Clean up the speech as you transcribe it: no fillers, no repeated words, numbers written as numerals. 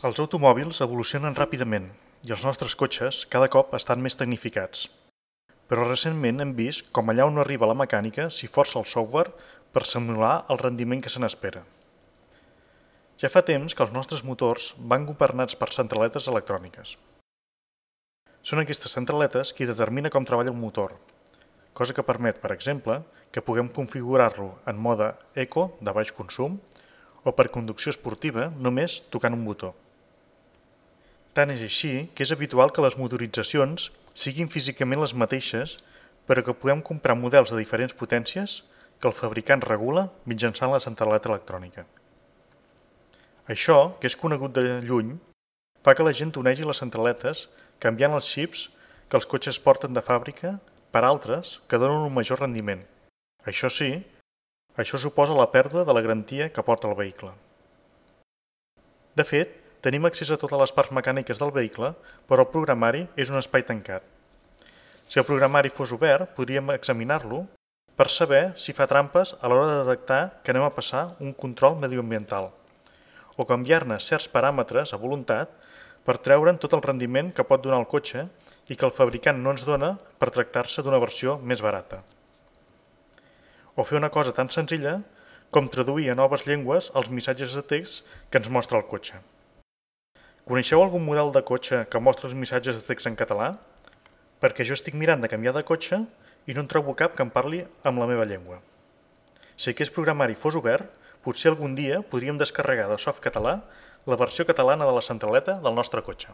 Els automòbils evolucionen ràpidament i els nostres cotxes cada cop estan més tecnificats. Però recentment hem vist com allà on no arriba la mecànica s'hi força el software per simular el rendiment que se n'espera. Ja fa temps que els nostres motors van governats per centraletes electròniques. Són aquestes centraletes qui determina com treballa el motor, cosa que permet, per exemple, que puguem configurar-lo en mode eco de baix consum o per conducció esportiva només tocant un botó. Tant és així que és habitual que les motoritzacions siguin físicament les mateixes, però que puguem comprar models de diferents potències que el fabricant regula mitjançant la centraleta electrònica. Això, que és conegut de lluny, fa que la gent onegi les centraletes canviant els xips que els cotxes porten de fàbrica per altres que donen un major rendiment. Això sí, això suposa la pèrdua de la garantia que porta el vehicle. De fet, tenim accés a totes les parts mecàniques del vehicle, però el programari és un espai tancat. Si el programari fos obert, podríem examinar-lo per saber si fa trampes a l'hora de detectar que anem a passar un control mediambiental o canviar-ne certs paràmetres a voluntat per treure'n tot el rendiment que pot donar el cotxe i que el fabricant no ens dona per tractar-se d'una versió més barata. O fer una cosa tan senzilla com traduir a noves llengües els missatges de text que ens mostra el cotxe. Coneixeu algun model de cotxe que mostra els missatges de text en català? Perquè jo estic mirant de canviar de cotxe i no en trobo cap que em parli amb la meva llengua. Si aquest programari fos obert, potser algun dia podríem descarregar de Softcatalà la versió catalana de la centraleta del nostre cotxe.